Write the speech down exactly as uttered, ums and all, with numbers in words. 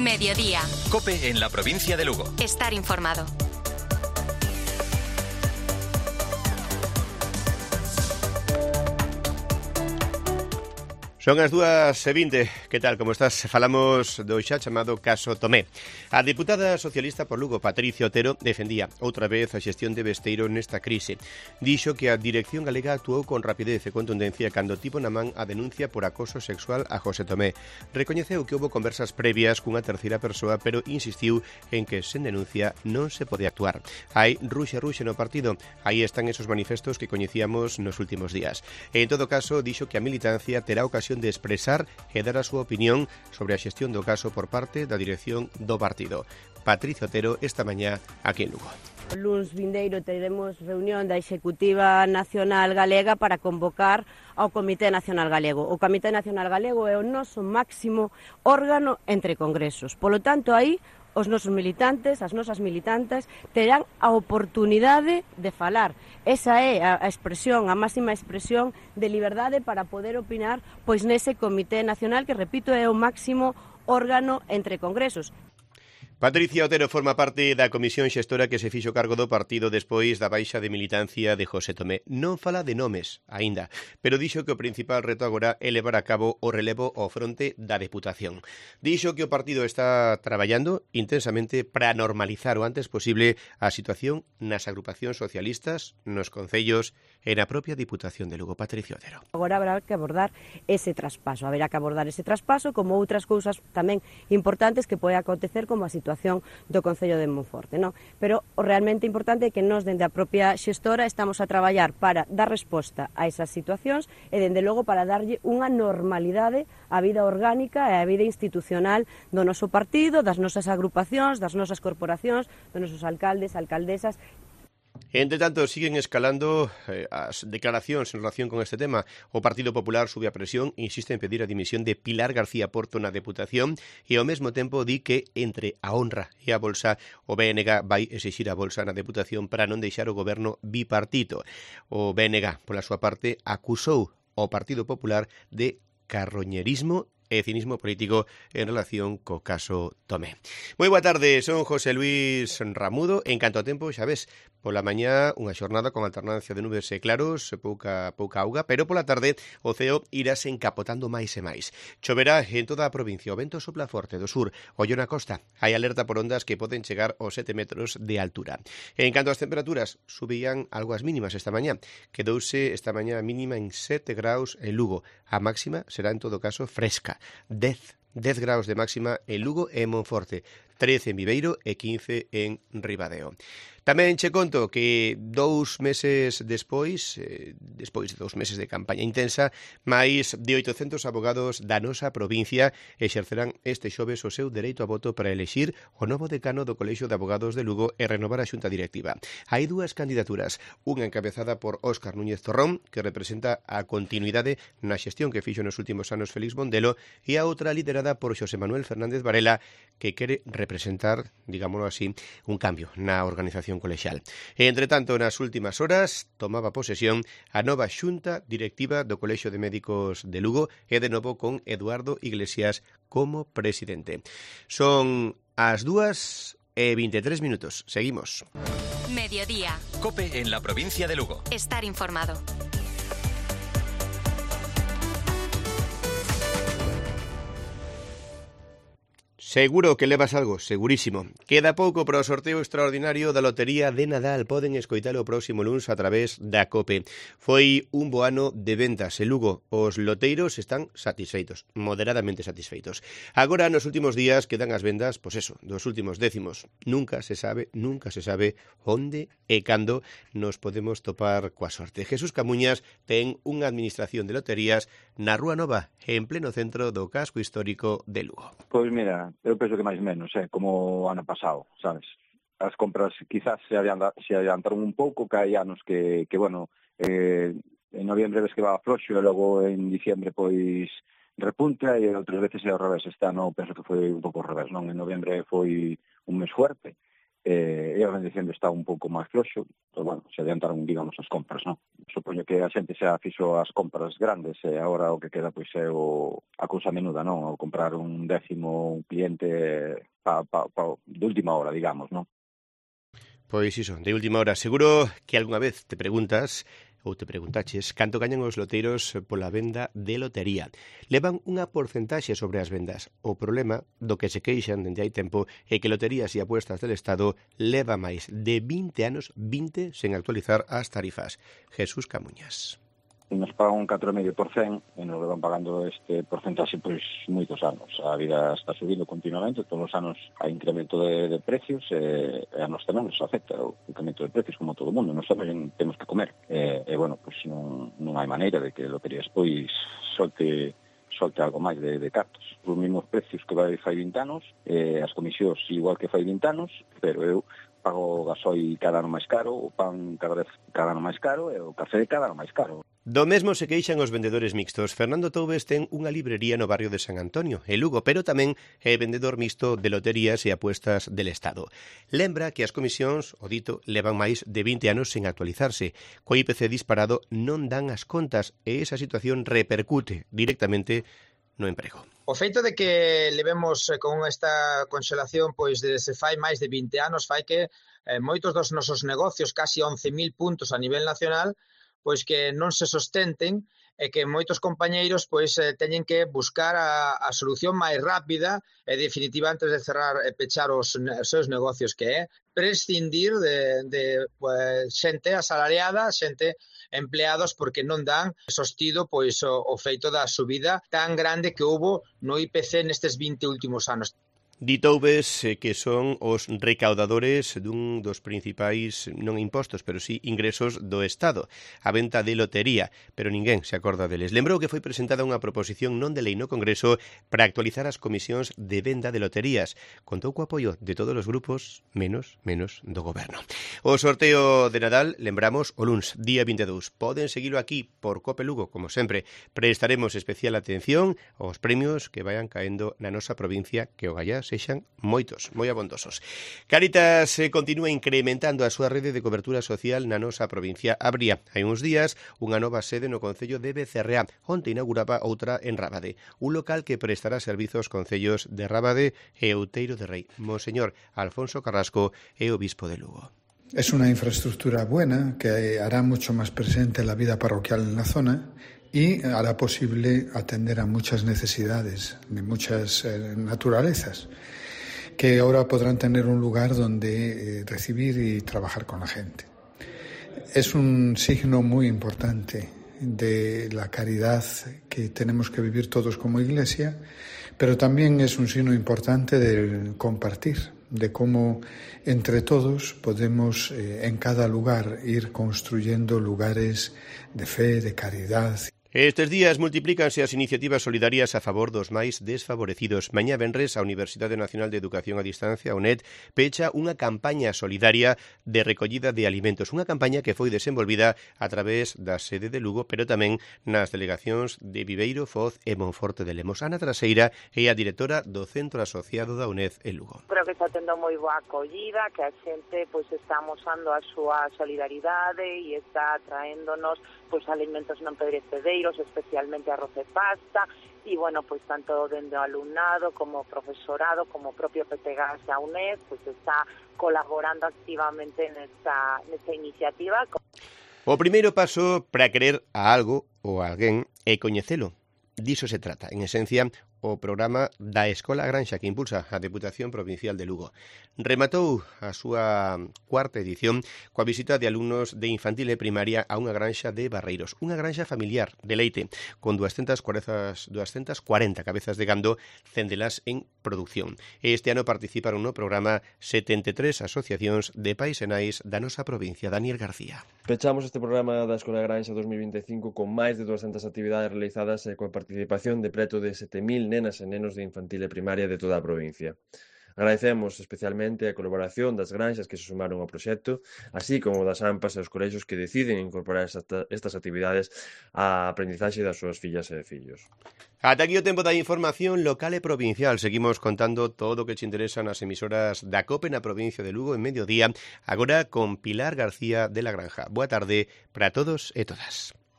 Mediodía. COPE en la provincia de Lugo. Estar informado. Son as dúas e vinte. Que tal, como estás? Falamos do xa chamado caso Tomé. A deputada socialista por Lugo, Patricia Otero, defendía outra vez a xestión de Besteiro nesta crise. Dixo que a Dirección Galega actuou con rapidez e contundencia cando tivo na man a denuncia por acoso sexual a José Tomé. Recoñeceu que houve conversas previas cunha terceira persoa, pero insistiu en que sen denuncia non se pode actuar. Hai ruxe ruxe no partido. Aí están esos manifestos que coñecíamos nos últimos días. En todo caso, dixo que a militancia terá ocasión de expresar e dar a súa opinión sobre a xestión do caso por parte da dirección do partido. Patricia Otero esta mañá aquí en Lugo. O luns vindeiro teremos reunión da Executiva Nacional Galega para convocar ao Comité Nacional Galego. O Comité Nacional Galego é o noso máximo órgano entre congresos. Polo tanto, aí os nosos militantes, as nosas militantes, terán a oportunidade de falar. Esa é a expresión, a máxima expresión de liberdade para poder opinar pois nese Comité Nacional que, repito, é o máximo órgano entre congresos. Patricia Otero forma parte da comisión xestora que se fixo cargo do partido despois da baixa de militancia de José Tomé. Non fala de nomes, aínda, pero dixo que o principal reto agora é levar a cabo o relevo ao fronte da Deputación. Dixo que o partido está traballando intensamente para normalizar o antes posible a situación nas agrupacións socialistas, nos concellos e na propia Diputación de Lugo. Patricia Otero. Agora habrá que abordar ese traspaso, haberá que abordar ese traspaso como outras cousas tamén importantes que pode acontecer como a situación do Concello de Monforte, non? Pero o realmente importante é que nós, dende a propia xestora, estamos a traballar para dar resposta a esas situacións e, dende logo, para darlle unha normalidade á vida orgánica e á vida institucional do noso partido, das nosas agrupacións, das nosas corporacións, dos nosos alcaldes, alcaldesas. Entre tanto, siguen escalando eh, as declaracións en relación con este tema. O Partido Popular sube a presión, insiste en pedir a dimisión de Pilar García Porto na Deputación e ao mesmo tempo di que entre a honra e a bolsa o B N G vai exixir a bolsa na Deputación para non deixar o goberno bipartito. O B N G, pola súa parte, acusou ao Partido Popular de carroñerismo e cinismo político en relación co caso Tomé. Moi boa tarde, son José Luis Ramudo. En canto a tempo, xa ves, pola mañá unha xornada con alternancia de nubes e claros, pouca pouca auga, pero pola tarde o ceo irase encapotando máis e máis. Choverá en toda a provincia, o vento sopla forte do sur, ollo na costa. Hai alerta por ondas que poden chegar aos sete metros de altura. En canto ás temperaturas, subían algo as mínimas esta mañá. Quedouse esta mañá mínima en sete graus en Lugo. A máxima será en todo caso fresca. dez graus de máxima en Lugo e en Monforte, trece en Viveiro e quince en Ribadeo. Tamén che conto que dous meses despois, eh, despois de dous meses de campaña intensa, máis de oitocentos abogados da nosa provincia exercerán este xoves o seu dereito a voto para elexir o novo decano do Colexio de Abogados de Lugo e renovar a xunta directiva. Hai dúas candidaturas, unha encabezada por Óscar Núñez Torrón, que representa a continuidade na xestión que fixo nos últimos anos Félix Bondelo, e a outra liderada por Xosé Manuel Fernández Varela, que quere representar, digámoslo así, un cambio na organización colexial. E, entre tanto, nas últimas horas tomaba posesión a nova xunta directiva do Colexio de Médicos de Lugo e de novo con Eduardo Iglesias como presidente. Son as dúas e vinte e tres minutos. Seguimos. Mediodía. COPE en la provincia de Lugo. Estar informado. Seguro que levas algo, segurísimo. Queda pouco para o sorteo extraordinario da Lotería de Nadal. Poden escoitalo o próximo luns a través da COPE. Foi un bo ano de ventas en Lugo. Os loteiros están satisfeitos, moderadamente satisfeitos. Agora, nos últimos días, quedan as vendas, pois eso, dos últimos décimos. Nunca se sabe, nunca se sabe onde e cando nos podemos topar coa sorte. Jesús Camuñas ten unha administración de loterías na Rúa Nova, en pleno centro do casco histórico de Lugo. Pois mira, eu penso que máis menos, eh, como o ano pasado, sabes? As compras quizás se, adianta, se adiantaron un pouco, que hai anos que, que bueno, eh, en noviembre ves que va floxo e logo en diciembre pois repunta e outras veces é ao revés. Este ano penso que foi un pouco ao revés, non? En noviembre foi un mes fuerte e, e a organización está un pouco máis floxo, pues, bueno, se adiantaron, digamos, as compras, non? Supoño que a xente xa fixo as compras grandes e agora o que queda pois é o, a cousa menuda, non? O comprar un décimo un cliente pa, pa, pa, de última hora, digamos, non? Pois iso, de última hora. Seguro que algunha vez te preguntas ou te preguntaches canto gañan os loteiros pola venda de lotería. Levan unha porcentaxe sobre as vendas. O problema do que se queixan dende hai tempo é que Loterías e Apuestas del Estado leva máis de vinte anos, vinte, sen actualizar as tarifas. Jesús Camuñas. Nos pagan un catro coma cinco por cento e nos van pagando este porcentaxe pois moitos anos. A vida está subindo continuamente, todos os anos hai incremento de, de precios e, e a nos tamén nos afecta o incremento de precios como todo o mundo. Nos tamén temos que comer e, e bueno, pois non, non hai maneira de que Loterías pois solte solte algo máis de, de cartos. Os mesmos precios que vai fai vinte anos, e as comisións igual que fai vinte anos, pero eu pago o gasoi cada ano máis caro, o pan cada vez cada ano máis caro e o café cada ano máis caro. Do mesmo se queixan os vendedores mixtos. Fernando Toubes ten unha librería no barrio de San Antonio, en Lugo, pero tamén é vendedor mixto de Loterías e Apuestas del Estado. Lembra que as comisións, o dito, levan máis de vinte anos sen actualizarse. Co I P C disparado non dan as contas e esa situación repercute directamente no emprego. O feito de que levemos con esta conxelación pois desde fai máis de vinte anos fai que eh, moitos dos nosos negocios, casi once mil puntos a nivel nacional, pois que non se sostenten e que moitos compañeiros pois eh, teñen que buscar a, a solución máis rápida e definitiva antes de cerrar e pechar os, os seus negocios, que é prescindir de, de pues, xente asalariada, xente empleados porque non dan sostido pois o, o feito da subida tan grande que houbo no I P C nestes vinte últimos anos. Di Toubes eh, que son os recaudadores dun dos principais, non impostos, pero sí ingresos do Estado, a venta de lotería, pero ninguén se acorda deles. Lembrou que foi presentada unha proposición non de lei no Congreso para actualizar as comisións de venda de loterías. Contou co apoio de todos os grupos, menos, menos do goberno. O sorteo de Nadal, lembramos, o luns, día vinte e dous. Poden seguilo aquí por Cope Lugo, como sempre. Prestaremos especial atención aos premios que vayan caendo na nosa provincia, que o gallás sexan moitos, moi abondosos. Cáritas eh, continúa incrementando a súa rede de cobertura social na nosa provincia. Abría hai uns días unha nova sede no concello de Becerreá, onte inauguraba outra en Rábade, un local que prestará servizos aos concellos de Rábade e Outeiro de Rei. Monseñor Alfonso Carrasco é obispo de Lugo. Es una infraestructura buena que hará mucho más presente la vida parroquial en la zona y hará posible atender a muchas necesidades de muchas eh, naturalezas que ahora podrán tener un lugar donde eh, recibir y trabajar con la gente. Es un signo muy importante de la caridad que tenemos que vivir todos como Iglesia, pero también es un signo importante del compartir, de cómo entre todos podemos eh, en cada lugar ir construyendo lugares de fe, de caridad. Estes días multiplícanse as iniciativas solidarias a favor dos máis desfavorecidos. Mañá venres, a Universidade Nacional de Educación a Distancia, a U N E D, pecha unha campaña solidaria de recollida de alimentos. Unha campaña que foi desenvolvida a través da sede de Lugo, pero tamén nas delegacións de Viveiro, Foz e Monforte de Lemos. Ana Traseira é a directora do Centro Asociado da U N E D en Lugo. Creo que está tendo moi boa acollida, que a xente pois está amosando a súa solidaridade e está traéndonos pois alimentos non perecedeiros, especialmente arroz e pasta, e, bueno, pues tanto dende o alumnado como profesorado, como propio P T G A S da U N E D, pues está colaborando activamente nesta, nesta iniciativa. O primeiro paso para querer a algo ou a alguén é coñecelo. Diso se trata, en esencia, o programa da Escola Granxa que impulsa a Deputación Provincial de Lugo. Rematou a súa cuarta edición coa visita de alumnos de infantil e primaria a unha granxa de Barreiros, unha granxa familiar de leite con doscientas cuarenta cabezas de gando, cen delas en producción. Este ano participaron no programa setenta e tres asociacións de pais e nais da nosa provincia. Daniel García. Pechamos este programa da Escola Granxa dos mil vinte e cinco con máis de doscientas actividades realizadas e coa participación de preto de sete mil nenas e nenos de infantil e primaria de toda a provincia. Agradecemos especialmente a colaboración das granxas que se sumaron ao proxecto, así como das AMPAs e os colexios que deciden incorporar estas actividades á aprendizaxe das súas fillas e fillos. Ata aquí o tempo da información local e provincial. Seguimos contando todo o que te interesa nas emisoras da COPE na provincia de Lugo en mediodía, agora con Pilar García de la Granja. Boa tarde para todos e todas.